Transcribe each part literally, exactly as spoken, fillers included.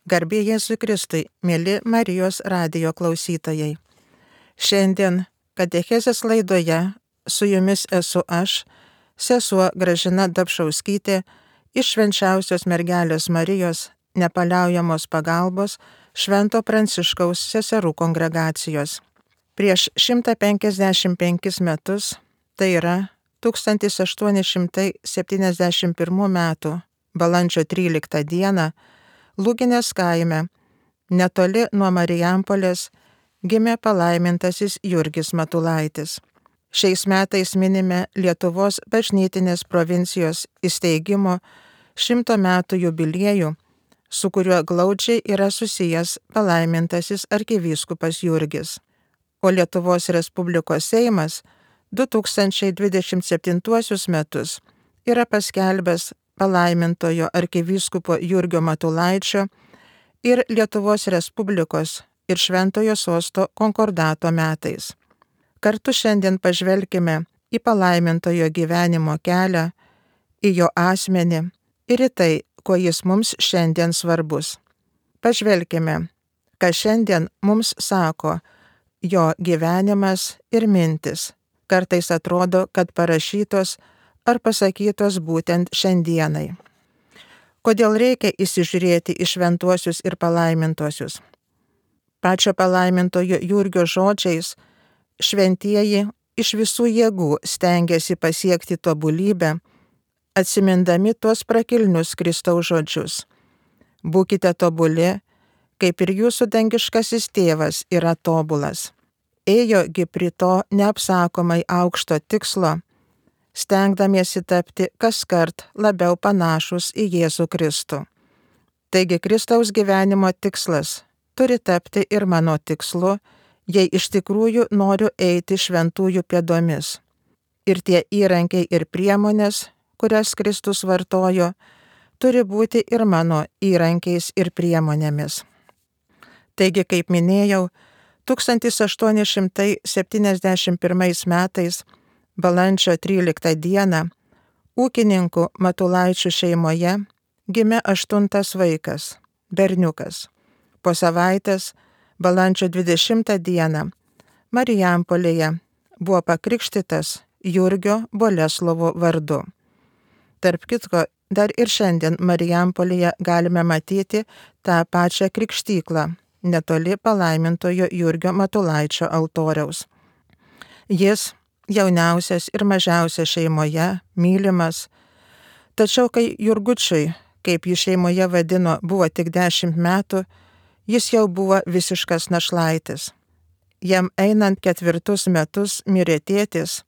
Garbė Jėzui Kristui, mieli Marijos radijo klausytojai. Šiandien katechezės laidoje su jumis esu aš, sesuo Gražina Dapšauskytė, iš Švenčiausios Mergelės Marijos nepaliaujamos pagalbos Švento Pranciškaus seserų kongregacijos. Prieš šimtą penkiasdešimt penkis metus, tai yra tūkstantis aštuoni šimtai septyniasdešimt pirmų metų balandžio tryliktą dieną, Lūginės kaime, netoli nuo Marijampolės, gimė palaimintasis Jurgis Matulaitis. Šiais metais minime Lietuvos bažnytinės provincijos įsteigimo šimto metų jubiliejų, su kuriuo glaudžiai yra susijęs palaimintasis arkivyskupas Jurgis. O Lietuvos Respublikos Seimas du tūkstančiai dvidešimt septintuosius metus yra paskelbęs palaimintojo arkivyskupo Jurgio Matulaičio ir Lietuvos Respublikos ir Šventojo Sosto konkordato metais. Kartu šiandien pažvelkime į palaimintojo gyvenimo kelią, į jo asmenį ir į tai, kuo jis mums šiandien svarbus. Pažvelkime, ką šiandien mums sako jo gyvenimas ir mintis. Kartais atrodo, kad parašytos ar pasakytos būtent šiandienai. Kodėl reikia įsižiūrėti į šventuosius ir palaimintuosius? Pačio palaimintojo Jurgio žodžiais, šventieji iš visų jėgų stengiasi pasiekti tobulybę, atsimindami tuos prakilnius Kristaus žodžius. Būkite tobuli, kaip ir jūsų dangiškasis tėvas yra tobulas. Ėjogi prie to neapsakomai aukšto tikslo, stengdamiesi tapti kaskart labiau panašus į Jėzų Kristų. Taigi Kristaus gyvenimo tikslas turi tapti ir mano tikslu, jei iš tikrųjų noriu eiti šventųjų pėdomis. Ir tie įrankiai ir priemonės, kurias Kristus vartojo, turi būti ir mano įrankiais ir priemonėmis. Taigi, kaip minėjau, tūkstantis aštuoni šimtai septyniasdešimt pirmais metais balandžio tryliktą dieną ūkininkų Matulaičių šeimoje gimė aštuntas vaikas, berniukas. Po savaitės, balandžio dvidešimtą dieną, Marijampolėje buvo pakrikštytas Jurgio Boleslovo vardu. Tarp kitko, dar ir šiandien Marijampolėje galime matyti tą pačią krikštyklą, netoli palaimintojo Jurgio Matulaičio altoriaus. Jis jauniausias ir mažiausias šeimoje, mylimas. Tačiau kai Jurgučiui, kaip jį šeimoje vadino, buvo tik dešimt metų, jis jau buvo visiškas našlaitis. Jam einant ketvirtus metus mirė tėtis,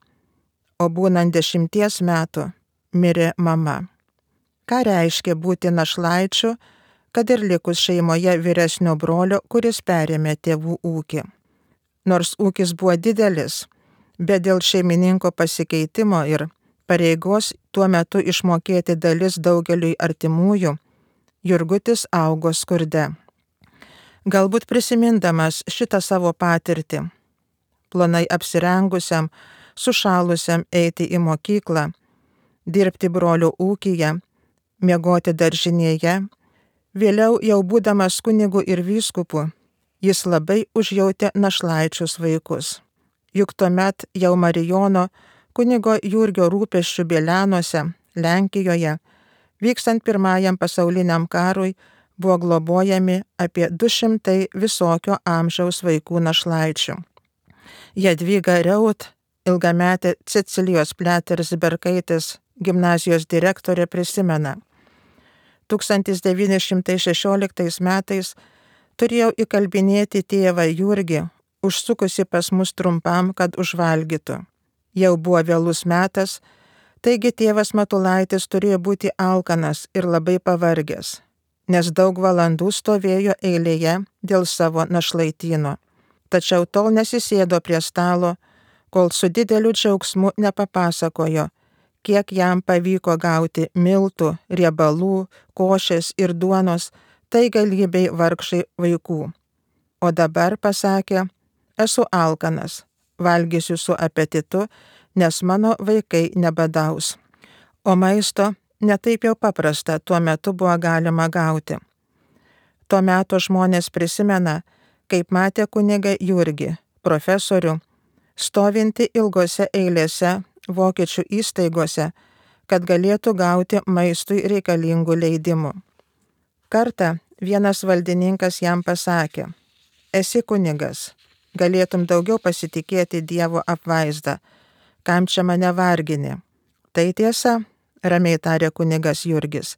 o būnant dešimties metų mirė mama. Ką reiškia būti našlaičiu, kad ir likus šeimoje vyresnio brolio, kuris perėmė tėvų ūkį? Nors ūkis buvo didelis, bet dėl šeimininko pasikeitimo ir pareigos tuo metu išmokėti dalis daugeliui artimųjų, Jurgutis augo skurde. Galbūt prisimindamas šitą savo patirtį, plonai apsirengusiam, sušalusiam eiti į mokyklą, dirbti brolio ūkyje, miegoti daržinėje, vėliau jau būdamas kunigu ir vyskupu, jis labai užjautė našlaičius vaikus. Juk tuomet jau Marijono kunigo Jurgio rūpesčių Bielianuose, Lenkijoje, vykstant pirmajam pasauliniam karui, buvo globojami apie du šimtai visokio amžiaus vaikų našlaičių. Jadvyga Reut, ilgametė Cecilijos Pliateris-Berkaitės gimnazijos direktorė, prisimena. tūkstantis devyni šimtai šešioliktais metais turėjau įkalbinėti tėvą Jurgį, užsukusi pas mus trumpam, kad užvalgytų. Jau buvo vėlus metas, taigi tėvas Matulaitis turėjo būti alkanas ir labai pavargęs, nes daug valandų stovėjo eilėje dėl savo našlaityno. Tačiau tol nesisėdo prie stalo, kol su dideliu džiaugsmu nepapasakojo, kiek jam pavyko gauti miltų, riebalų, košės ir duonos, tai galybei vargšai vaikų. O dabar, pasakė, esu alkanas, valgysiu su apetitu, nes mano vaikai nebadaus. O maisto netaip jau paprasta tuo metu buvo galima gauti. Tuo metu žmonės prisimena, kaip matė kunigą Jurgį, profesorių, stovinti ilgose eilėse vokiečių įstaigose, kad galėtų gauti maistui reikalingų leidimų. Kartą vienas valdininkas jam pasakė: esi kunigas, galėtum daugiau pasitikėti Dievo apvaizdą, kam čia mane vargini? Tai tiesa, ramiai tarė kunigas Jurgis,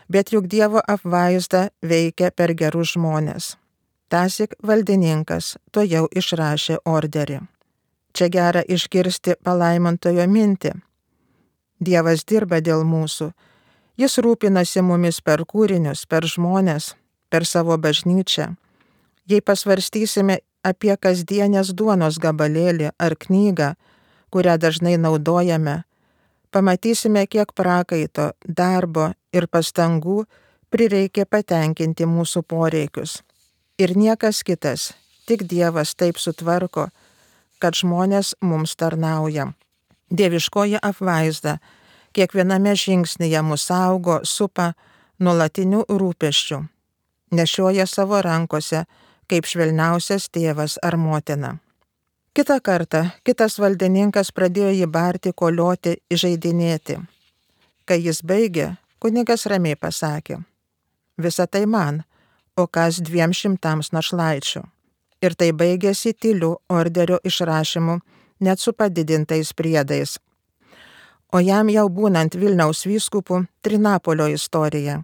bet juk Dievo apvaizda veikia per gerus žmonės. Tąsyk valdininkas to jau išrašė orderį. Čia gera išgirsti palaimintojo mintį. Dievas dirba dėl mūsų. Jis rūpinasi mumis per kūrinius, per žmonės, per savo bažnyčią. Jei pasvarstysime apie kasdienės duonos gabalėlį ar knygą, kurią dažnai naudojame, pamatysime, kiek prakaito, darbo ir pastangų prireikė patenkinti mūsų poreikius. Ir niekas kitas, tik Dievas taip sutvarko, kad žmonės mums tarnauja. Dieviškoji apvaizda kiekviename žingsnyje mus saugo, supa nuolatinių rūpesčių, nešioja savo rankose kaip švelniausias tėvas ar motina. Kitą kartą kitas valdininkas pradėjo jį barti, kolioti, įžeidinėti. Kai jis baigė, kunigas ramiai pasakė: visa tai man, o kas dviem šimtams našlaičių. Ir tai baigėsi tyliu orderio išrašymu, net su padidintais priedais. O jam jau būnant Vilniaus vyskupu Trinapolio istorija.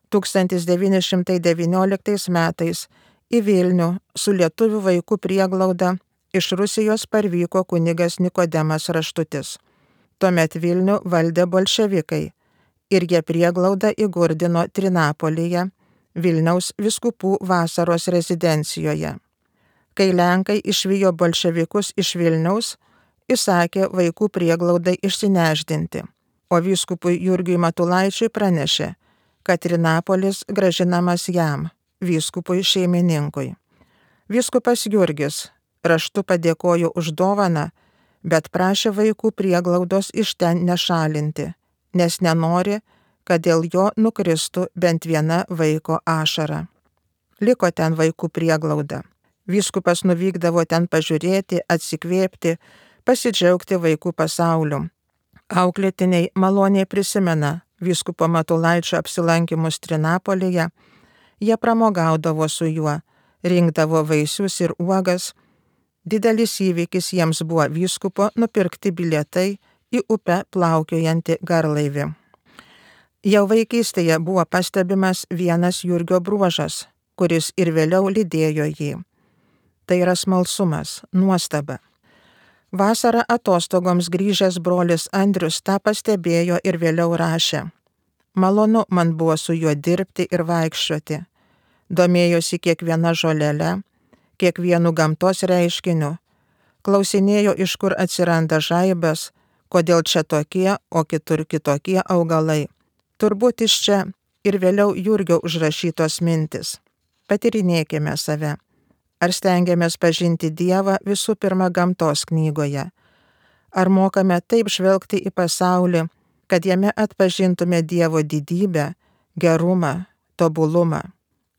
tūkstantis devyni šimtai devynioliktais metais į Vilnių su lietuvių vaikų prieglauda iš Rusijos parvyko kunigas Nikodemas Raštutis. Tuomet Vilnių valdė bolševikai ir jie prieglaudą įgurdino Trinapolyje, Vilniaus vyskupų vasaros rezidencijoje. Kai Lenkai išvijo bolševikus iš Vilniaus, įsakė vaikų prieglaudai išsineždinti, o vyskupui Jurgiui Matulaičiui pranešė, kad Trinapolis grąžinamas jam, vyskupui šeimininkui. Vyskupas Jurgis raštu padėkojo už dovaną, bet prašė vaikų prieglaudos iš ten nešalinti, nes nenori, kad dėl jo nukristų bent viena vaiko ašara. Liko ten vaikų prieglauda. Vyskupas nuvykdavo ten pažiūrėti, atsikvėpti, pasidžiaugti vaikų pasauliu. Auklėtiniai maloniai prisimena vyskupo Matulaičio apsilankimus Trinapolyje, jie pramogaudavo su juo, rinkdavo vaisius ir uogas. Didelis įvykis jiems buvo vyskupo nupirkti bilietai į upę plaukiojantį garlaivį. Jau vaikystėje buvo pastebimas vienas Jurgio bruožas, kuris ir vėliau lydėjo jį. Tai yra smalsumas, nuostaba. Vasarą atostogoms grįžęs brolis Andrius tą pastebėjo ir vėliau rašė: malonu man buvo su juo dirbti ir vaikščioti. Domėjosi kiekviena žolele, kiekvienu gamtos reiškiniu. Klausinėjo, iš kur atsiranda žaibas, kodėl čia tokie, o kitur kitokie augalai. Turbūt iš čia ir vėliau Jurgio užrašytos mintis. Patyrinėkime save. Ar stengiamės pažinti Dievą visų pirma gamtos knygoje? Ar mokame taip žvelgti į pasaulį, kad jame atpažintume Dievo didybę, gerumą, tobulumą?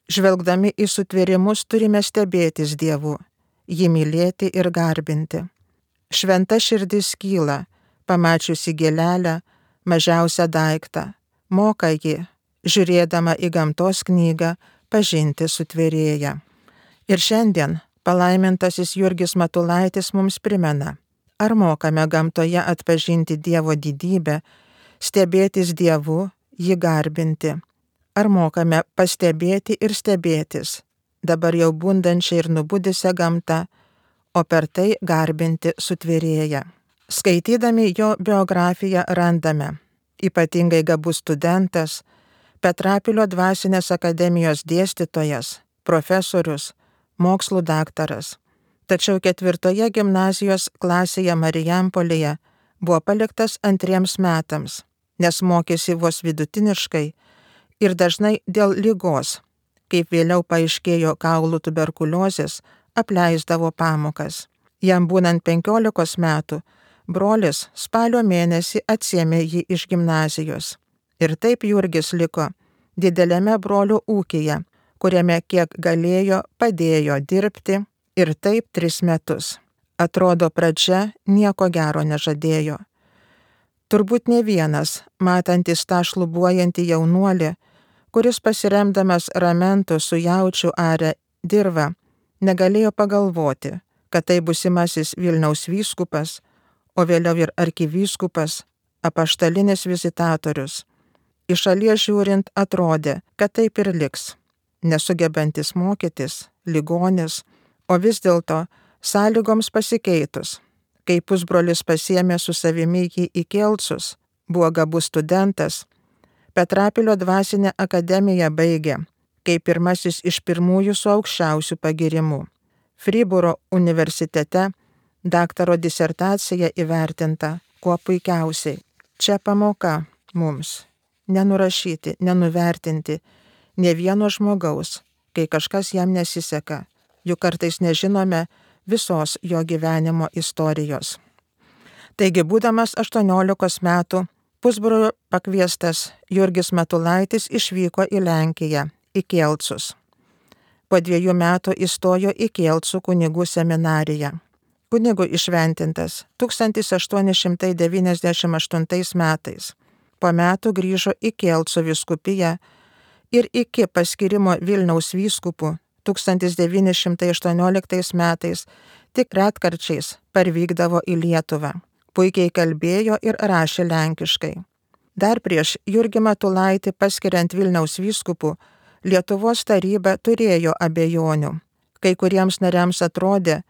Žvelgdami į sutvėrimus turime stebėtis Dievu, jį mylėti ir garbinti. Šventa širdis kyla, pamačiusi gėlelę, mažiausią daiktą, moka jį, žiūrėdama į gamtos knygą, pažinti sutvėrėją. Ir šiandien palaimintasis Jurgis Matulaitis mums primena, ar mokame gamtoje atpažinti Dievo didybę, stebėtis Dievu, jį garbinti. Ar mokame pastebėti ir stebėtis, dabar jau bundančią ir nubudusią gamtą, o per tai garbinti sutvėrėją. Skaitydami jo biografiją randame: ypatingai gabus studentas, Petrapilio dvasinės akademijos dėstytojas, profesorius, mokslų daktaras. Tačiau ketvirtoje gimnazijos klasėje Marijampolėje buvo paliktas antriems metams, nes mokėsi vos vidutiniškai ir dažnai dėl ligos, kaip vėliau paaiškėjo kaulų tuberkuliozės, apleisdavo pamokas. Jam būnant penkiolikos metų, brolis spalio mėnesį atsiėmė jį iš gimnazijos. Ir taip Jurgis liko dideliame brolio ūkyje, kuriame kiek galėjo padėjo dirbti ir taip tris metus. Atrodo, pradžia nieko gero nežadėjo. Turbūt ne vienas, matantis tą šlubuojantį jaunuolį, kuris pasiremdamas ramentu su jaučiu arę dirvą, negalėjo pagalvoti, kad tai būsimasis Vilniaus vyskupas, o vėliau ir arkivyskupas, apaštalinis vizitatorius. Iš šalies žiūrint atrodė, kad taip ir liks, nesugebantis mokytis, ligonis, o vis dėlto sąlygoms pasikeitus, kai pusbrolis pasiėmė su savimi jį į Kelcus, buvo gabus studentas, Petrapilio dvasinę akademiją baigė, kaip pirmasis iš pirmųjų su aukščiausiu pagirimu. Fribūro universitete daktaro disertacija įvertinta kuo puikiausiai. Čia pamoka mums nenurašyti, nenuvertinti ne vieno žmogaus, kai kažkas jam nesiseka, juk kartais nežinome visos jo gyvenimo istorijos. Taigi, būdamas aštuoniolikos metų, pusbrolio pakviestas Jurgis Matulaitis išvyko į Lenkiją, į Kelcus. Po dviejų metų įstojo į Kelcų kunigų seminariją. Kunigų išventintas tūkstantis aštuoni šimtai devyniasdešimt aštuntais metais. Po metų grįžo į Kelcų vyskupiją ir iki paskirimo Vilniaus vyskupų tūkstantis devyni šimtai aštuonioliktais metais tik retkarčiais parvykdavo į Lietuvą. Puikiai kalbėjo ir rašė lenkiškai. Dar prieš Jurgį Matulaitį paskiriant Vilniaus vyskupų, Lietuvos taryba turėjo abejonių. Kai kuriems nariams atrodė,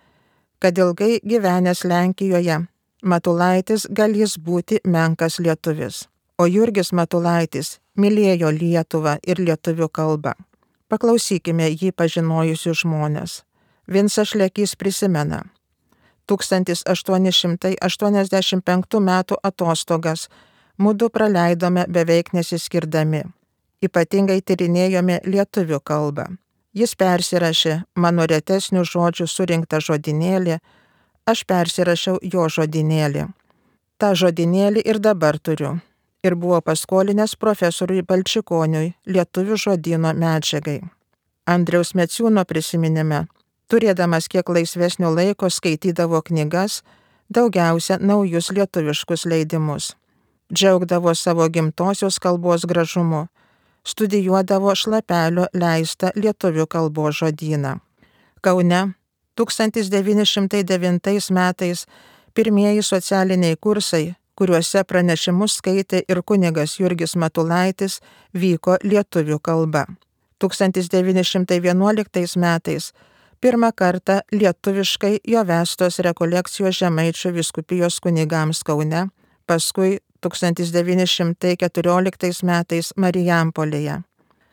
kad ilgai gyvenęs Lenkijoje, Matulaitis galės būti menkas lietuvis. O Jurgis Matulaitis mylėjo Lietuvą ir lietuvių kalbą. Paklausykime jį pažinojusių žmonės. Vincas Šlekys prisimena. tūkstantis aštuoni šimtai aštuoniasdešimt penktų metų atostogas mudu praleidome beveik nesiskirdami. Ypatingai tyrinėjome lietuvių kalbą. Jis persirašė mano retesnių žodžių surinktą žodynėlį, aš persirašiau jo žodynėlį. Ta žodynėlį ir dabar turiu. Ir buvo paskolinęs profesoriui Balčikoniui lietuvių žodyno medžiagai. Andriaus Meciūno prisiminime, turėdamas kiek laisvesnio laiko skaitydavo knygas, daugiausia naujus lietuviškus leidimus. Džiaugdavo savo gimtosios kalbos gražumu, studijuodavo Šlapelio leistą lietuvių kalbos žodyną. Kaune tūkstantis devyni šimtai devintais metais pirmieji socialiniai kursai, kuriuose pranešimus skaitė ir kunigas Jurgis Matulaitis, vyko lietuvių kalba. tūkstantis devyni šimtai vienuoliktais metais pirmą kartą lietuviškai jo vestos rekolekcijos Žemaičių vyskupijos kunigams Kaune, paskui tūkstantis devyni šimtai keturioliktais metais Marijampolėje.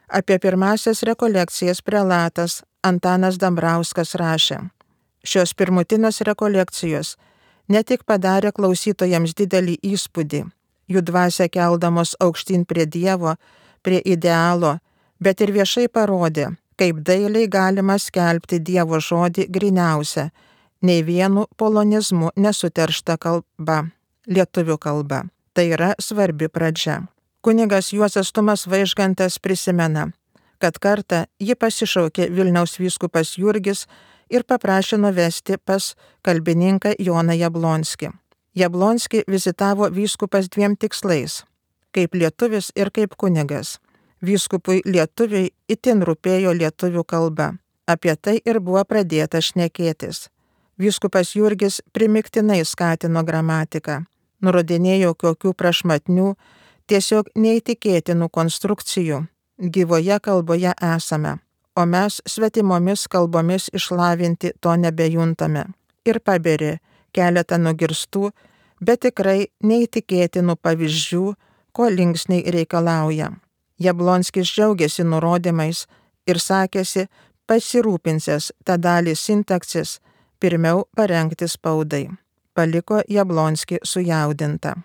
Apie pirmasias rekolekcijas prelatas Antanas Dambrauskas rašė. Šios pirmutinės rekolekcijos ne tik padarė klausytojams didelį įspūdį, jų dvasią keldamos aukštyn prie Dievo, prie idealo, bet ir viešai parodė, kaip dailiai galima skelbti Dievo žodį gryniausia, nei vienu polonizmu nesuteršta kalba, lietuvių kalba. Tai yra svarbi pradžia. Kunigas Juozas Tumas Vaižgantas prisimena, kad kartą jį pasišaukė Vilniaus vyskupas Jurgis ir paprašė nuvesti pas kalbininką Joną Jablonskį. Jablonskį vizitavo vyskupas dviem tikslais – kaip lietuvis ir kaip kunigas. Vyskupui lietuviai itin rūpėjo lietuvių kalba. Apie tai ir buvo pradėta šnekėtis. Vyskupas Jurgis primiktinai skatino gramatiką, nurodinėjo kokių prašmatnių, tiesiog neįtikėtinų konstrukcijų gyvoje kalboje esame, o mes svetimomis kalbomis išlavinti to nebejuntame. Ir paberė keletą nugirstų, bet tikrai neįtikėtinų pavyzdžių, ko linksniai reikalauja. Jablonskis džiaugiasi nurodymais ir sakėsi pasirūpinsęs tą dalį sintaksis pirmiau parengti spaudai. Paliko Jablonskį sujaudintą.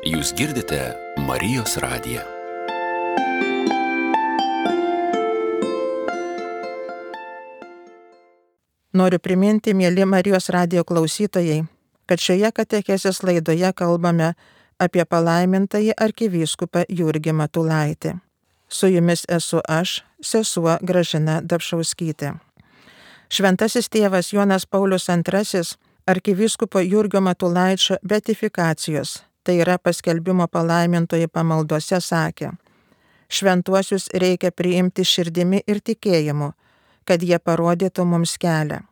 Jūs girdite Marijos radiją. Noriu priminti, mieli Marijos radijo klausytojai, kad šioje katechezės laidoje kalbame apie palaimintąjį arkivyskupą Jurgį Matulaitį. Su jumis esu aš, sesuo Gražina Dapšauskytė. Šventasis tėvas Jonas Paulius antrasis arkivyskupo Jurgio Matulaičio beatifikacijos, tai yra paskelbimo palaimintoji pamaldose, sakė: šventuosius reikia priimti širdimi ir tikėjimu, kad jie parodytų mums kelią.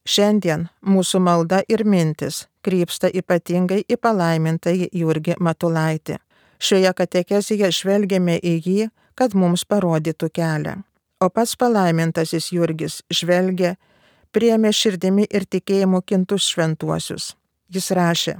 Šiandien mūsų malda ir mintis krypsta ypatingai į palaimintąjį Jurgį Matulaitį. Šioje katekezėje žvelgiame į jį, kad mums parodytų kelią. O pats palaimintasis Jurgis žvelgė, priėmė širdimi ir tikėjimu kintus šventuosius. Jis rašė: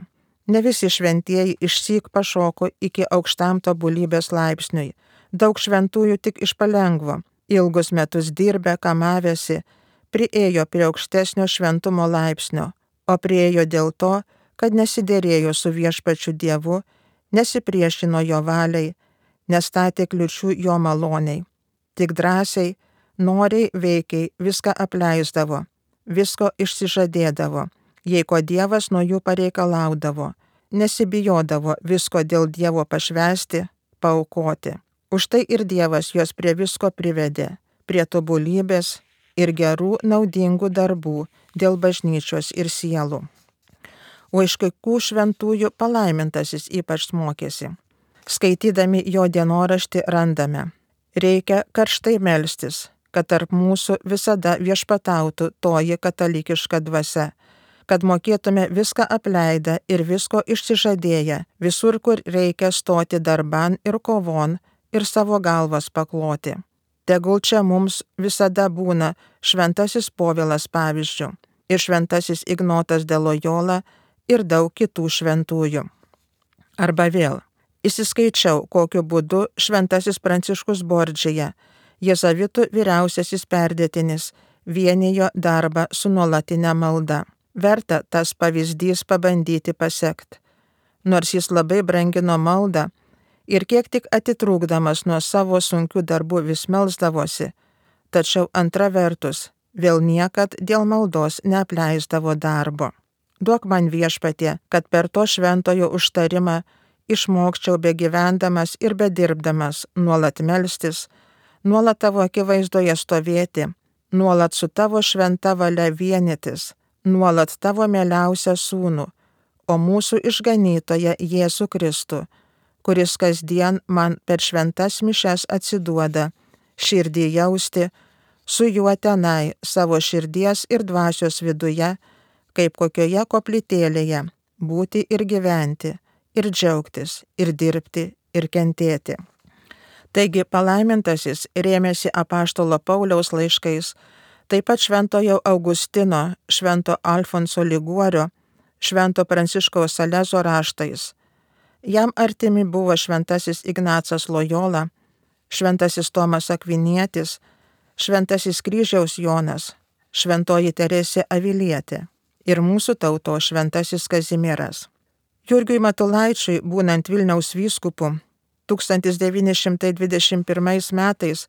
ne visi šventieji išsyk pašoko iki aukštam tobulybės laipsniui. Daug šventųjų tik iš palengvo, ilgus metus dirbę, kamavėsi, priėjo prie aukštesnio šventumo laipsnio, o priėjo dėl to, kad nesiderėjo su viešpačiu Dievu, nesipriešino jo valiai, nestatė kliučių jo maloniai. Tik drąsiai, noriai, veikiai viską apleisdavo, visko išsižadėdavo, jei ko Dievas nuo jų pareikalaudavo, nesibijodavo visko dėl Dievo pašvęsti, paaukoti. Už tai ir Dievas juos prie visko privedė, prie tobulybės ir gerų naudingų darbų dėl bažnyčios ir sielų. O iš kaikų šventųjų palaimintasis ypač mokėsi. Skaitydami jo dienoraštį randame: reikia karštai melstis, kad tarp mūsų visada viešpatautų toji katalikiška dvasia, kad mokėtume viską apleidę ir visko išsižadėję, visur, kur reikia stoti darban ir kovon ir savo galvas pakloti. Tegul čia mums visada būna šventasis Povilas pavyzdžių ir šventasis Ignotas de Loyola ir daug kitų šventųjų. Arba vėl, įsiskaičiau, kokiu būdu šventasis Pranciškus Bordžija, jėzavitų vyriausiasis perdėtinis, vienijo darbą su nuolatinė malda. Verta tas pavyzdys pabandyti pasekt. Nors jis labai brangino maldą ir kiek tik atitrūkdamas nuo savo sunkių darbų vis melsdavosi, tačiau antra vertus vėl niekad dėl maldos neapleisdavo darbo. Duok man, Viešpatie, kad per to šventojo užtarimą išmokčiau begyvendamas ir bedirbdamas nuolat melstis, nuolat tavo akivaizdoje stovėti, nuolat su tavo šventa valia vienytis, nuolat tavo mieliausią sūnų, o mūsų išganytoją Jėzų Kristų, kuris kasdien man per šventas mišes atsiduoda, širdį jausti, su juo tenai savo širdies ir dvasios viduje, kaip kokioje koplytėlėje, būti ir gyventi, ir džiaugtis, ir dirbti, ir kentėti. Taigi palaimintasis rėmėsi apaštalo Pauliaus laiškais, taip pat šventojo Augustino, švento Alfonso Liguorio, švento Pranciškaus Salezo raštais. Jam artimi buvo šventasis Ignacas Loyola, šventasis Tomas Akvinietis, šventasis Kryžiaus Jonas, šventoji Teresė Avilietė ir mūsų tauto šventasis Kazimieras. Jurgiui Matulaičiui, būnant Vilniaus vyskupu, tūkstantis devyni šimtai dvidešimt pirmais metais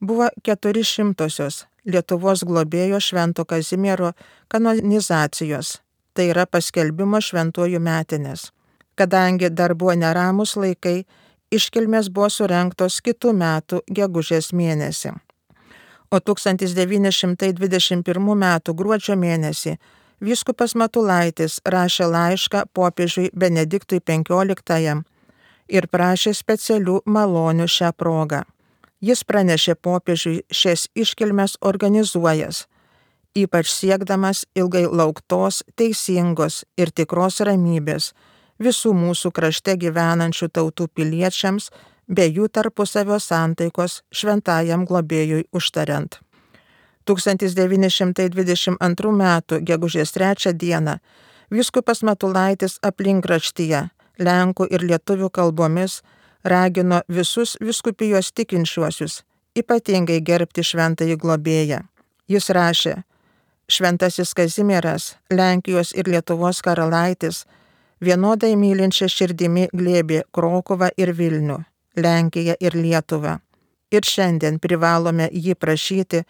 buvo keturi šimtosios Lietuvos globėjo švento Kazimiero kanonizacijos, tai yra paskelbimo šventuoju metinės. Kadangi dar buvo neramus laikai, iškilmės buvo surengtos kitų metų gegužės mėnesį. O tūkstantis devyni šimtai dvidešimt pirmų metų gruodžio mėnesį vyskupas Matulaitis rašė laišką popiežiui Benediktui penkioliktajam ir prašė specialių malonių šią progą. Jis pranešė popiežiui šias iškilmes organizuojas, ypač siekdamas ilgai lauktos, teisingos ir tikros ramybės visų mūsų krašte gyvenančių tautų piliečiams bei jų tarpusavio santaikos šventajam globėjui užtariant. tūkstantis devyni šimtai dvidešimt antrų metų gegužės trečią dieną vyskupas Matulaitis aplinkraštyje lenkų ir lietuvių kalbomis ragino visus vyskupijos tikinčiuosius ypatingai gerbti šventąjį globėją. Jis rašė: šventasis Kazimieras, Lenkijos ir Lietuvos karalaitis, vienodai mylinčia širdimi glėbė Krokuvą ir Vilnių, Lenkiją ir Lietuvą. Ir šiandien privalome jį prašyti,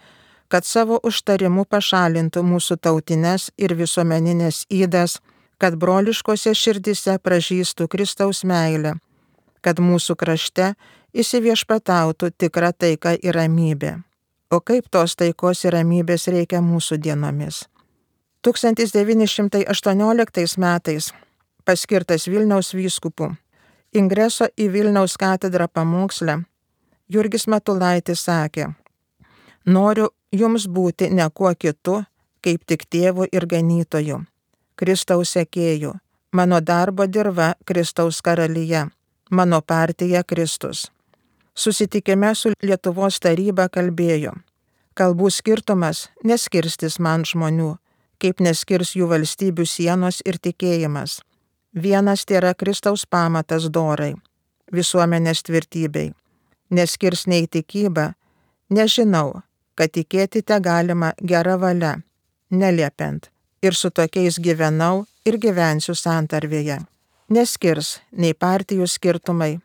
kad savo užtarimu pašalintų mūsų tautines ir visuomeninės ydas, kad broliškose širdise pražystų Kristaus meilė, kad mūsų krašte įsiviešpatautų tikra taika ir ramybė. O kaip tos taikos ir ramybės reikia mūsų dienomis. tūkstantis devyni šimtai aštuonioliktais metais paskirtas Vilniaus vyskupu, ingreso į Vilniaus katedrą pamoksle, Jurgis Matulaitis sakė: noriu jums būti ne kuo kitu, kaip tik tėvu ir ganytoju, Kristaus sekėju, mano darbo dirva Kristaus karalyje, mano partija Kristus. Susitikime su Lietuvos taryba kalbėjo: kalbų skirtumas neskirstys man žmonių, kaip neskirs jų valstybių sienos ir tikėjimas. Vienas tėra Kristaus pamatas dorai, visuomenės tvirtybei. Neskirs nei tikybą, nežinau, kad tikėti te galima gera valia, neliepiant, ir su tokiais gyvenau ir gyvensiu santarvėje. Neskirs nei partijų skirtumai,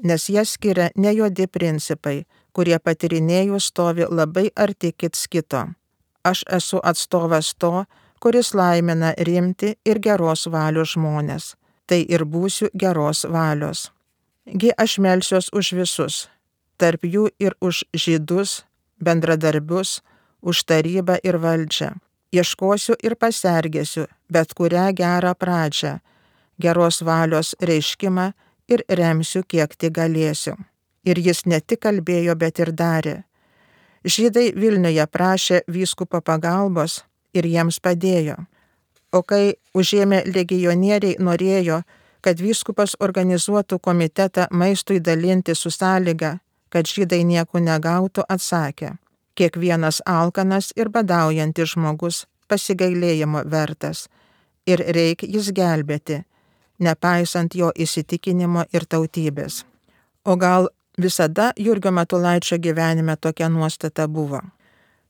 nes jas skiria ne juodi principai, kurie patyrinėjus stovi labai arti kits kito. Aš esu atstovas to, kuris laimina rimti ir geros valios žmonės. Tai ir būsiu geros valios. Gi aš melsiuos už visus, tarp jų ir už žydus, bendradarbius, už tarybą ir valdžią. Ieškosiu ir pasergėsiu bet kurią gerą pradžią, geros valios reiškimą ir remsiu kiek tik galėsiu. Ir jis ne tik kalbėjo, bet ir darė. Žydai Vilniuje prašė vyskupo pagalbos ir jiems padėjo. O kai užėmė legionieriai norėjo, kad vyskupas organizuotų komitetą maistui dalinti su sąlyga, kad žydai nieko negautų, atsakė: kiekvienas alkanas ir badaujantis žmogus pasigailėjimo vertas ir reikia jis gelbėti, nepaisant jo įsitikinimo ir tautybės. O gal visada Jurgio Matulaičio gyvenime tokia nuostata buvo?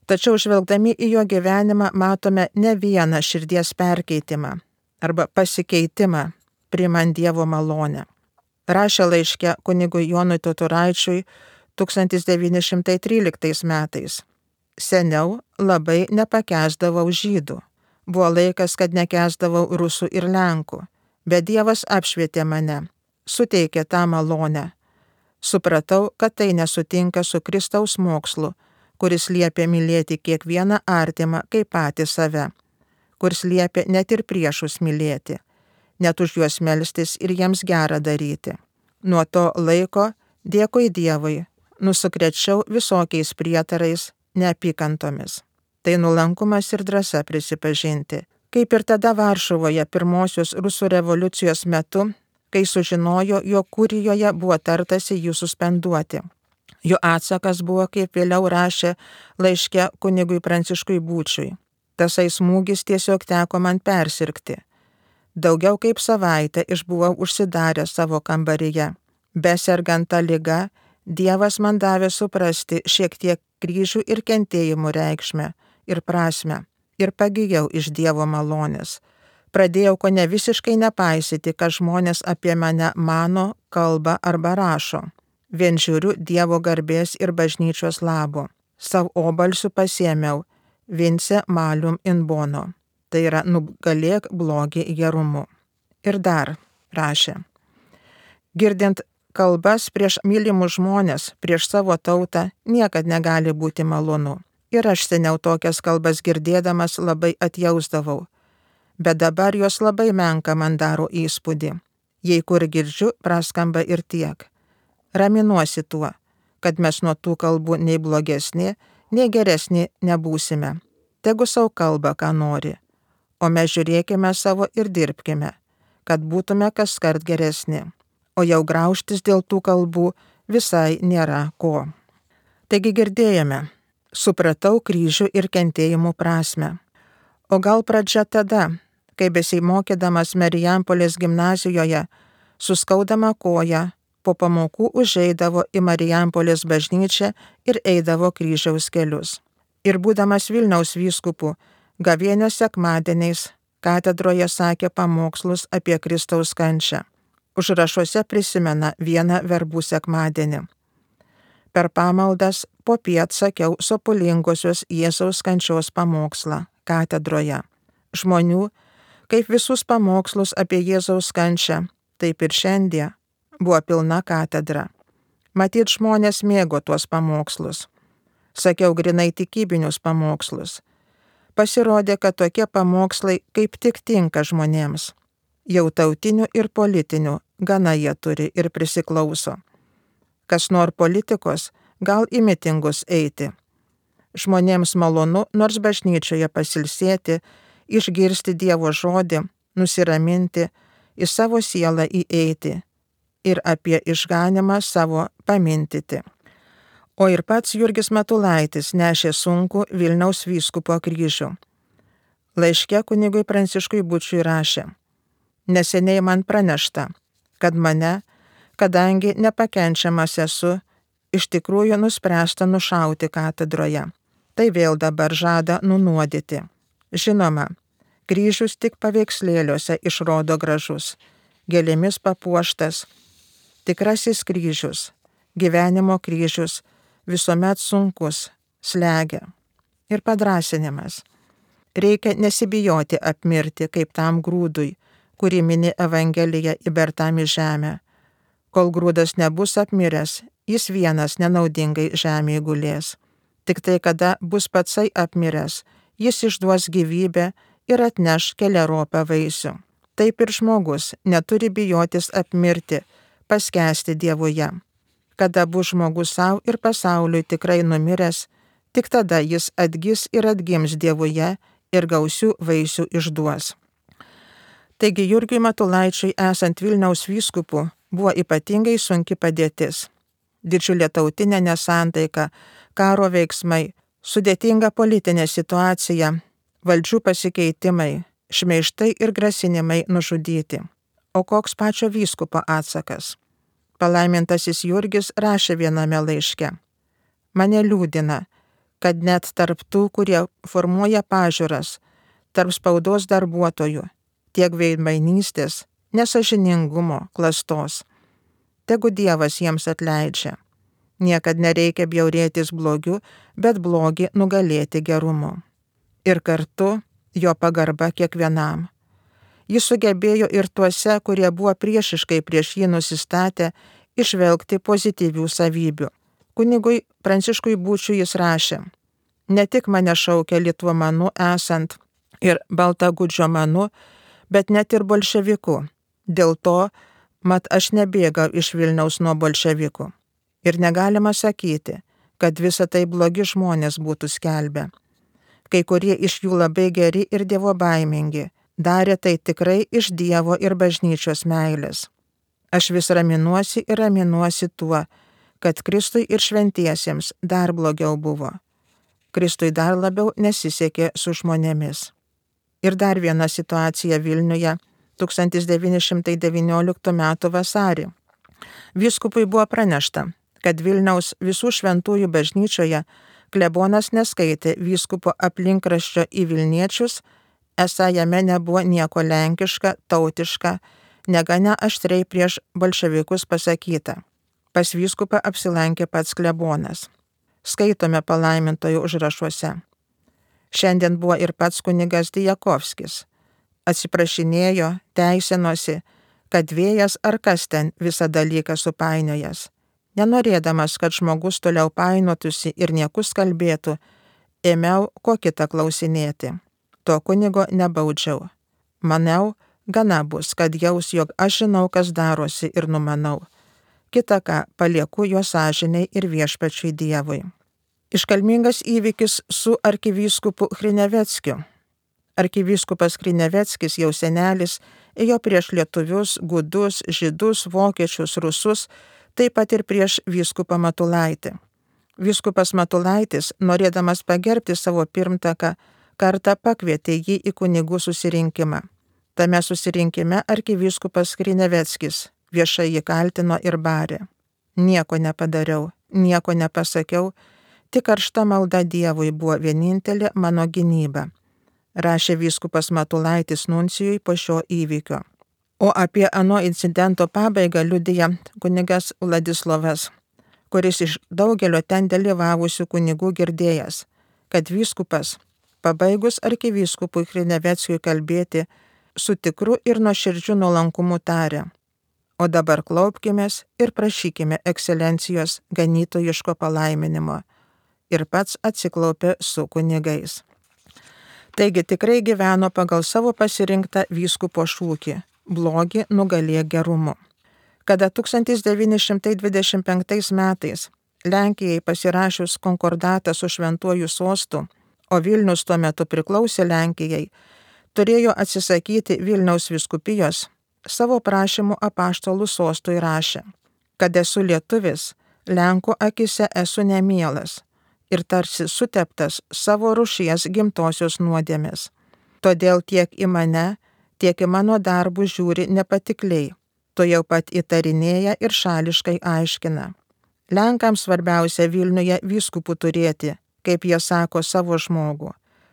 Tačiau žvelgdami į jo gyvenimą matome ne vieną širdies perkeitimą arba pasikeitimą priimant Dievo malonę. Rašė laiške kunigui Jonui Totoraičiui tūkstantis devyni šimtai tryliktais metais: seniau labai nepakęsdavau žydų. Buvo laikas, kad nekęsdavau rusų ir lenkų, bet Dievas apšvietė mane, suteikė tą malonę. Supratau, kad tai nesutinka su Kristaus mokslu, kuris liepia mylėti kiekvieną artimą kaip patį save, kuris liepia net ir priešus mylėti, net už juos melstis ir jiems gerą daryti. Nuo to laiko, dėkui Dievui, nusukrečiau visokiais prietarais, neapykantomis. Tai nuolankumas ir drąsa prisipažinti. Kaip ir tada Varšuvoje pirmosios rusų revoliucijos metu, kai sužinojo, jog Kurijoje buvo tartasi jų suspenduoti. Jo atsakas buvo, kaip vėliau rašė laiške kunigui Pranciškui Būčiui: tasai smūgis tiesiog teko man persirgti. Daugiau kaip savaitę išbuvau užsidaręs savo kambaryje. Besergant tą ligą, Dievas man davė suprasti šiek tiek kryžių ir kentėjimų reikšmę ir prasmę, ir pagijau iš Dievo malonės. Pradėjau ko ne visiškai nepaisyti, ką žmonės apie mane mano, kalba arba rašo. Vien žiūriu Dievo garbės ir bažnyčios labo. Savo obalsiu pasiėmiau vince malium in bono. Tai yra nugalėk blogį gerumu. Ir dar rašė: girdint kalbas prieš mylimus žmonės, prieš savo tautą, niekad negali būti malonu. Ir aš seniau tokias kalbas girdėdamas labai atjausdavau. Bet dabar jos labai menka man daro įspūdį. Jei kur girdžiu, praskamba ir tiek. Raminuosi tuo, kad mes nuo tų kalbų nei blogesni, nei geresni nebūsime. Tegu savo kalba, ką nori. O mes žiūrėkime savo ir dirbkime, kad būtume kaskart geresni. O jau graužtis dėl tų kalbų visai nėra ko. Taigi girdėjome, supratau kryžių ir kentėjimų prasmę. O gal pradžia tada, kai besimokydamas Marijampolės gimnazijoje, suskaudama koją, po pamokų užeidavo į Marijampolės bažnyčią ir eidavo kryžiaus kelius. Ir būdamas Vilniaus vyskupu, gavėnios sekmadieniais katedroje sakė pamokslus apie Kristaus kančią. Užrašuose prisimena vieną verbų sekmadienį. Per pamaldas popiet sakiau sopulingosios Jėzaus kančios pamokslą katedroje. Žmonių, Kaip visus pamokslus apie Jėzaus kančią, taip ir šiandien buvo pilna katedra. Matyt, žmonės mėgo tuos pamokslus. Sakiau grinai tikybinius pamokslus. Pasirodė, kad tokie pamokslai kaip tik tinka žmonėms. Jau tautinių ir politinių gana jie turi ir prisiklauso. Kas nori politikos, gal į mitingus eiti. Žmonėms malonu nors bažnyčioje pasilsėti, išgirsti Dievo žodį, nusiraminti, į savo sielą įeiti ir apie išganimą savo pamintyti. O ir pats Jurgis Matulaitis nešė sunkų Vilniaus vyskupo kryžių. Laiške kunigui Pranciškui Bučiui rašė: neseniai man pranešta, kad mane, kadangi nepakenčiamas esu, iš tikrųjų nuspręsta nušauti katedroje. Tai vėl dabar žada nunuodyti. Žinoma, kryžius tik paveikslėliuose išrodo gražus, gėlėmis papuoštas. Tikrasis kryžius, gyvenimo kryžius, visuomet sunkus, slegia. Ir padrąsinimas. Reikia nesibijoti apmirti kaip tam grūdui, kurį mini Evangelija įbertam į žemę. Kol grūdas nebus apmiręs, jis vienas nenaudingai žemėje gulės. Tik tai, kada bus patsai apmiręs, jis išduos gyvybę ir atneš keliaropą vaisių. Taip ir žmogus neturi bijotis apmirti, paskęsti Dievuje. Kada bus žmogus savo ir pasauliui tikrai numiręs, tik tada jis atgis ir atgims Dievuje ir gausių vaisių išduos. Taigi Jurgiui Matulaičiui esant Vilniaus vyskupu buvo ypatingai sunki padėtis. Didžiulė tautinė nesantaika, karo veiksmai, sudėtinga politinė situacija, valdžių pasikeitimai, šmeižtai ir grasinimai nužudyti. O koks pačio vyskupo atsakas? Palaimintasis Jurgis rašė viename laiške: mane liūdina, kad net tarp tų, kurie formuoja pažiūras, tarp spaudos darbuotojų, tiek veidmainystės, nesažiningumo, klastos. Tegu Dievas jiems atleidžia. Niekad nereikia bjaurėtis blogiu, bet blogį nugalėti gerumu. Ir kartu jo pagarba kiekvienam. Jis sugebėjo ir tuose, kurie buvo priešiškai prieš jį nusistatę, išvelgti pozityvių savybių. Kunigui Pranciškui Bučiui jis rašė: ne tik mane šaukia litvomanu esant ir baltagudžiomanu, bet net ir bolševiku. Dėl to, mat aš nebėgau iš Vilniaus nuo bolševikų. Ir negalima sakyti, kad visa tai blogi žmonės būtų skelbę. Kai kurie iš jų labai geri ir dievobaimingi, darė tai tikrai iš Dievo ir bažnyčios meilės. Aš vis raminuosi ir raminuosi tuo, kad Kristui ir šventiesiems dar blogiau buvo. Kristui dar labiau nesisekė su žmonėmis. Ir dar viena situacija Vilniuje tūkstantis devyni šimtai devynioliktų metų vasarį. Vyskupui buvo pranešta, kad Vilniaus visų šventųjų bažnyčioje klebonas neskaitė vyskupo aplinkraščio į Vilniečius, esą jame nebuvo nieko lenkiška, tautiška, negana aštriai prieš bolševikus pasakyta. Pas vyskupą apsilankė pats klebonas. Skaitome palaimintojo užrašuose. Šiandien buvo ir pats kunigas Dijakovskis. Atsiprašinėjo, teisinosi, kad vėjas ar kas ten visą dalyką supainiojas. Nenorėdamas, kad žmogus toliau painotųsi ir niekus kalbėtų, ėmiau ko kitą klausinėti. To kunigo nebaudžiau. Maniau, gana bus, kad jaus, jog aš žinau, kas darosi ir numanau. Kita ką, palieku jo sąžiniai ir viešpačiui Dievui. Iškalmingas įvykis su arkivyskupu Hrineveckiu. Arkivyskupas Hrineveckis, jau senelis, ėjo prieš lietuvius, gudus, žydus, vokiečius, rusus, taip pat ir prieš vyskupą Matulaitį. Vyskupas Matulaitis, norėdamas pagerbti savo pirmtaką, kartą pakvietė jį į kunigų susirinkimą. Tame susirinkime arkivyskupas Hrineveckis viešai jį kaltino ir barė. Nieko nepadariau, nieko nepasakiau, tik karšta malda Dievui buvo vienintelė mano gynyba, rašė vyskupas Matulaitis nuncijui po šio įvykio. O apie ano incidento pabaigą liudija kunigas Vladislovas, kuris iš daugelio ten dalyvavusių kunigų girdėjęs, kad vyskupas, pabaigus arkivyskupui Hrineveckiui kalbėti, su tikru ir nuoširdžiu nuolankumu tarė: o dabar klaupkimės ir prašykime ekscelencijos ganytojiško palaiminimo. Ir pats atsiklaupė su kunigais. Taigi tikrai gyveno pagal savo pasirinktą vyskupo šūkį – blogį nugalėk gerumu. Kada tūkstantis devyni šimtai dvidešimt penktais metais Lenkijai pasirašius konkordatą su Šventuoju sostu, o Vilnius tuo metu priklausė Lenkijai, turėjo atsisakyti Vilniaus vyskupijos, savo prašymu apaštalų sostui rašė, kad esu lietuvis, Lenkų akise esu nemielas ir tarsi suteptas savo rūšies gimtosios nuodėmės. Todėl tiek į mane, tiek į mano darbus žiūri nepatikliai, to jau pat įtarinėja ir šališkai aiškina. Lenkams svarbiausia Vilniuje vyskupų turėti, kaip jie sako, savo žmogų.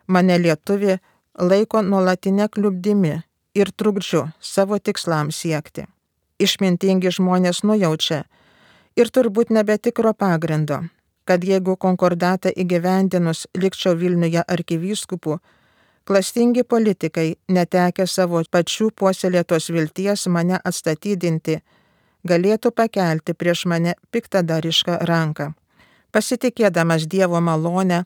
Mane lietuvi laiko nuolatinę kliubdimi ir trukdžiu savo tikslams siekti. Išmintingi žmonės nujaučia ir turbūt nebetikro pagrindo, kad jeigu konkordatą įgyvendinus likčiau Vilniuje arkivyskupu, klastingi politikai, netekę savo pačių puoselėtos vilties mane atstatydinti, galėtų pakelti prieš mane piktadarišką ranką. Pasitikėdamas Dievo malonę,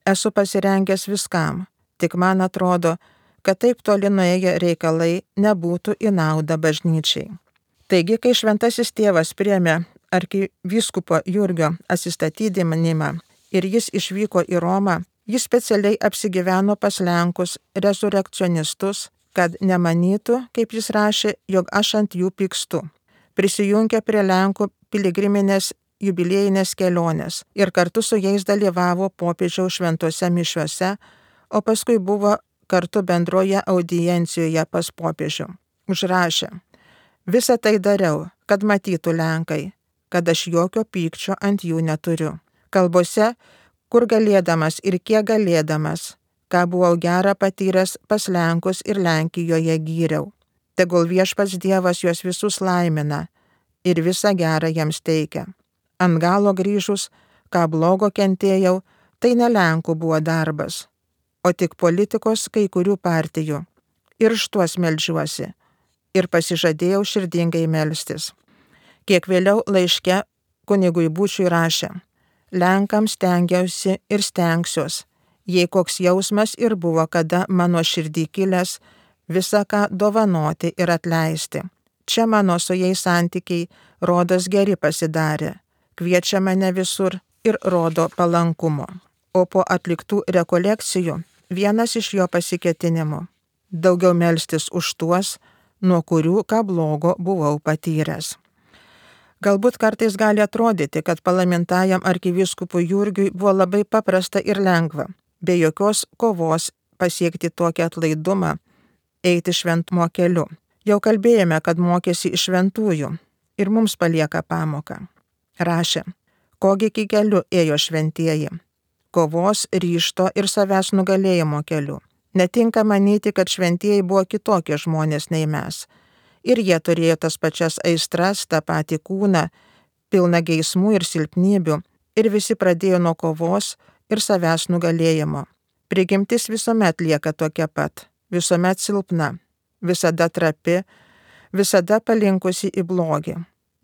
esu pasirengęs viskam, tik man atrodo, kad taip toli nuėję reikalai nebūtų į naudą bažnyčiai. Taigi, kai šventasis tėvas priėmė arkivyskupo Jurgio atsistatydinimą ir jis išvyko į Romą, jis specialiai apsigyveno pas Lenkus rezurekcionistus, kad nemanytų, kaip jis rašė, jog aš ant jų pykstu. Prisijungė prie Lenkų piligriminės jubiliejinės kelionės ir kartu su jais dalyvavo popiežiaus šventose mišiuose, o paskui buvo kartu bendroje audiencijoje pas popiežių. Užrašė: visą tai dariau, kad matytų Lenkai, kad aš jokio pykčio ant jų neturiu. Kalbose, kur galėdamas ir kiek galėdamas, ką buvau gerą patyręs pas Lenkus ir Lenkijoje gyriau. Tegul viešpats Dievas juos visus laimina ir visą gerą jiems teikia. Ant galo grįžus, ką blogo kentėjau, tai ne Lenkų buvo darbas, o tik politikos kai kurių partijų. Ir štuos meldžiuosi. Ir pasižadėjau širdingai melstis. Kiek vėliau laiške kunigui Būčiui rašė: Lenkams stengiausi ir stengsiuos, jei koks jausmas ir buvo kada mano širdį kilęs, visą ką dovanoti ir atleisti. Čia mano su jais santykiai rodos geri pasidarė, kviečia mane visur ir rodo palankumo. O po atliktų rekolekcijų vienas iš jo pasiketinimų – daugiau melstis už tuos, nuo kurių ką blogo buvau patyręs. Galbūt kartais gali atrodyti, kad palaimintajam arkivyskupui Jurgiui buvo labai paprasta ir lengva, be jokios kovos pasiekti tokį atlaidumą, eiti šventumo keliu. Jau kalbėjome, kad mokėsi iš šventųjų ir mums palieka pamoką. Rašė: kogi iki keliu ėjo šventieji? Kovos, ryžto ir savęs nugalėjimo keliu. Netinka manyti, kad šventieji buvo kitokie žmonės nei mes. Ir jie turėjo tas pačias aistras, tą patį kūną, pilną geismų ir silpnybių, ir visi pradėjo nuo kovos ir savęs nugalėjimo. Prigimtis visuomet lieka tokia pat, visuomet silpna, visada trapi, visada palinkusi į blogį.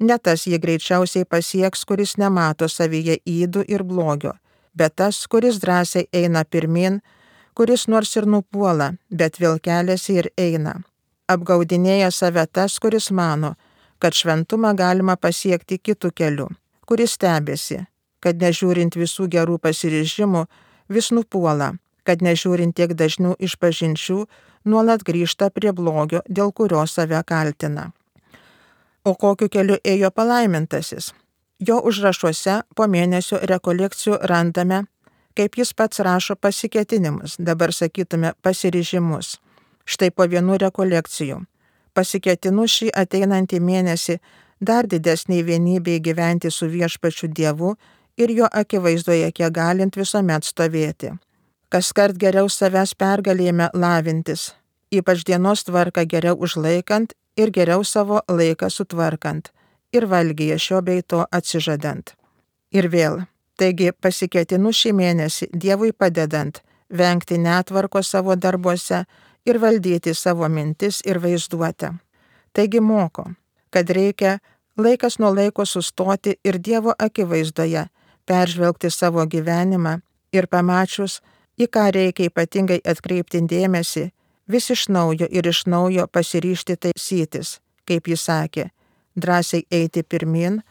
Ne tas jį greičiausiai pasieks, kuris nemato savyje ydų ir blogio, bet tas, kuris drąsiai eina pirmin, kuris nors ir nupuola, bet vėl keliasi ir eina. Apgaudinėja save tas, kuris mano, kad šventumą galima pasiekti kitų kelių, kuris stebėsi, kad nežiūrint visų gerų pasiryžimų, vis nupuola, kad nežiūrint tiek dažnų išpažinčių, nuolat grįžta prie blogio, dėl kurio save kaltina. O kokiu keliu ėjo palaimintasis? Jo užrašuose po mėnesio rekolekcijų randame, kaip jis pats rašo, pasiketinimus, dabar sakytume pasiryžimus. Štai po vienų rekolekcijų. Pasiketinu šį ateinantį mėnesį dar didesniai vienybei gyventi su viešpačiu Dievu ir jo akivaizdoje kiek galint visuomet stovėti. Kaskart geriau savęs pergalėjime lavintis, ypač dienos tvarką geriau užlaikant ir geriau savo laiką sutvarkant ir valgyje šio bei to atsižadant. Ir vėl, taigi pasiketinu šį mėnesį Dievui padedant vengti netvarko savo darbuose ir valdyti savo mintis ir vaizduotę. Taigi moko, kad reikia laikas nuo laiko sustoti ir Dievo akivaizdoje peržvelgti savo gyvenimą ir pamačius, į ką reikia ypatingai atkreipti dėmesį, vis iš naujo ir iš naujo pasiryžti taisytis, kaip jis sakė, drąsiai eiti pirmin,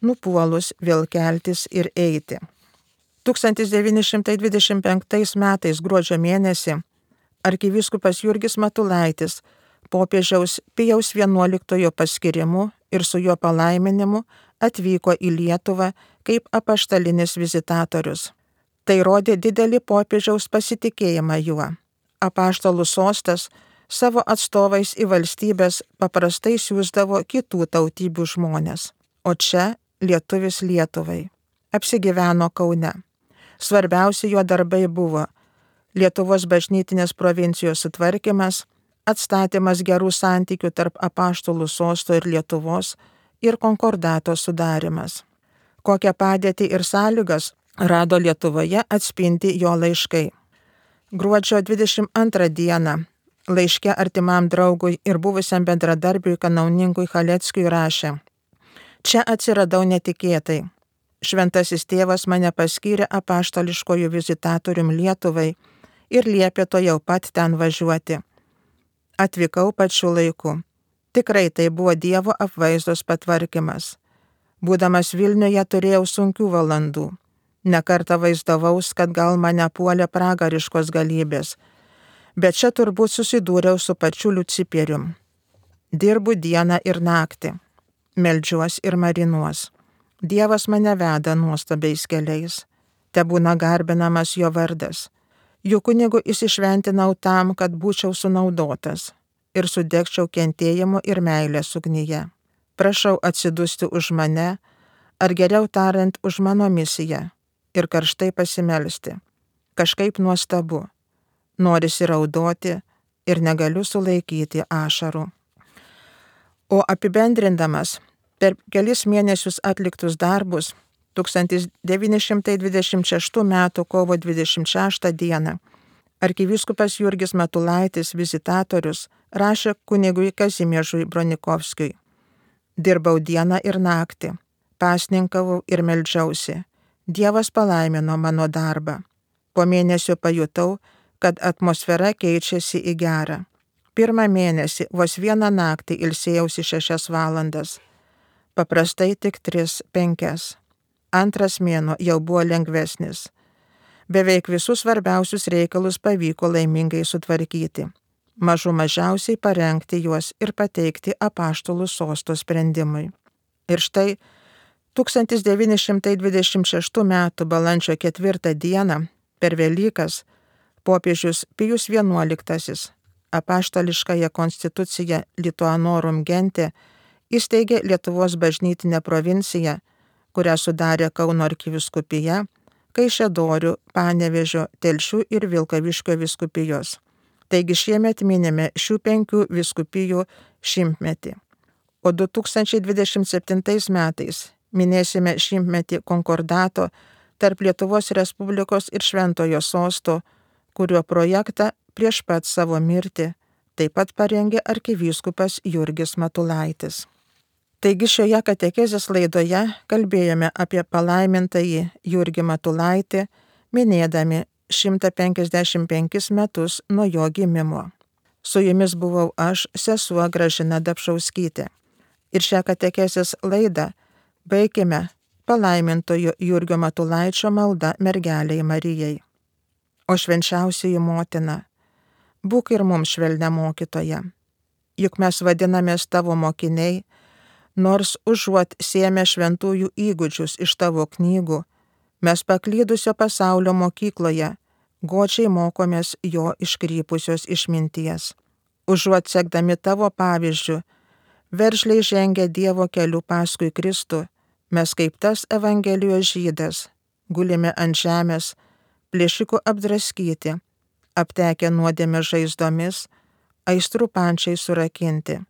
nupuolus vėl keltis ir eiti. tūkstantis devyni šimtai dvidešimt penktais metais gruodžio mėnesį arkivyskupas Jurgis Matulaitis popiežiaus Pijaus vienuoliktojo paskirimu ir su jo palaiminimu atvyko į Lietuvą kaip apaštalinis vizitatorius. Tai rodė didelį popiežiaus pasitikėjimą juo. Apaštalų sostas savo atstovais į valstybės paprastai siųsdavo kitų tautybių žmonės, o čia lietuvis Lietuvai. Apsigyveno Kaune. Svarbiausi jo darbai buvo Lietuvos bažnytinės provincijos sutvarkymas, atstatymas gerų santykių tarp apaštalų sosto ir Lietuvos ir konkordato sudarimas. Kokią padėtį ir sąlygas rado Lietuvoje atspindi jo laiškai. Gruodžio dvidešimt antrą dieną laiške artimam draugui ir buvusiam bendradarbiui kanauninkui Chaleckiui rašė: Čia atsiradau netikėtai. Šventasis tėvas mane paskyrė apaštališkojų vizitatorium Lietuvai ir liepė to jau pat ten važiuoti. Atvykau pačiu laiku. Tikrai tai buvo Dievo apvaizdos patvarkymas. Būdamas Vilniuje turėjau sunkių valandų. Nekartą vaizdavaus, kad gal mane puolė pragariškos galybės, bet čia turbūt susidūriau su pačiu Liuciperium. Dirbu dieną ir naktį, meldžiuos ir marinuos. Dievas mane veda nuostabiais keliais, tebūna garbinamas jo vardas. Juk kunigu įsišventinau tam, kad būčiau sunaudotas ir sudegčiau kentėjimu ir meilės ugnyje. Prašau atsidusti už mane, ar geriau tariant už mano misiją, ir karštai pasimelsti. Kažkaip nuostabu. Norisi raudoti ir negaliu sulaikyti ašarų. O apibendrindamas per kelis mėnesius atliktus darbus, tūkstantis devyni šimtai dvidešimt šeštų metų kovo dvidešimt šeštą dieną arkivyskupas Jurgis Matulaitis, vizitatorius, rašė kunigui Kazimiežui Bronikovskiui: Dirbau dieną ir naktį, pasninkavau ir meldžiausi. Dievas palaimino mano darbą. Po mėnesio pajutau, kad atmosfera keičiasi į gerą. Pirmą mėnesį vos vieną naktį ilsėjausi šešias valandas. Paprastai tik tris, penkias. Antras mėnuo jau buvo lengvesnis. Beveik visus svarbiausius reikalus pavyko laimingai sutvarkyti. Mažų mažiausiai parengti juos ir pateikti apaštalų sosto sprendimui. Ir štai tūkstantis devyni šimtai dvidešimt šeštų metų balandžio ketvirtą dieną per Velykas popiežius Pijus vienuoliktasis apaštališkąją konstituciją Lituanorum Gente įsteigė Lietuvos bažnytinę provinciją, kurią sudarė Kauno arkivyskupija, Kaišiadorių, Panevėžio, Telšių ir Vilkaviškio vyskupijos. Taigi šiemet minime šių penkių vyskupijų šimtmetį. O du tūkstančiai dvidešimt septintais metais minėsime šimtmetį konkordato tarp Lietuvos Respublikos ir Šventojo sosto, kurio projektą prieš pat savo mirtį taip pat parengė arkivyskupas Jurgis Matulaitis. Taigi šioje katekezės laidoje kalbėjome apie palaimintąjį Jurgį Matulaitį, minėdami šimtą penkiasdešimt penkis metus nuo jo gimimo. Su jumis buvau aš, sesuo Gražina Dapšauskytė. Ir šią katekezės laidą baikime palaimintojo Jurgio Matulaičio malda mergelei Marijai. O švenčiausioji motina, būk ir mums švelnia mokytoja. Juk mes vadinamės tavo mokiniai, nors užuot sėmę šventųjų įgūdžius iš tavo knygų, mes paklydusio pasaulio mokykloje godžiai mokomės jo iškrypusios išminties. Užuot sekdami tavo pavyzdžiu, veržliai žengia Dievo keliu paskui Kristų, mes kaip tas Evangelijos žydas, gulime ant žemės, plėšikų apdraskyti, aptekę nuodėmę žaizdomis, aistrų pančiai surakinti.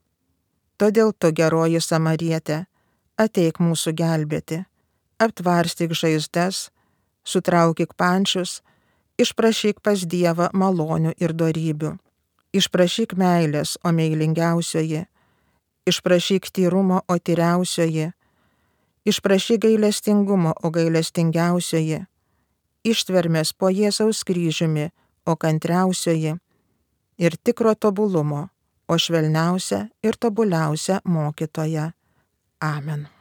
Todėl tu, geroji Samarietė, ateik mūsų gelbėti, aptvarstyk žaizdas, sutraukyk pančius, išprašyk pas Dievą malonių ir dorybių. Išprašyk meilės, o meilingiausioji. Išprašyk tyrumo, o tyriausioji. Išprašyk gailestingumo, o gailestingiausioji. Ištvermės po Jėzaus kryžiumi, o kantriausioji. Ir tikro tobulumo, o švelniausia ir tobuliausia mokytoja. Amen.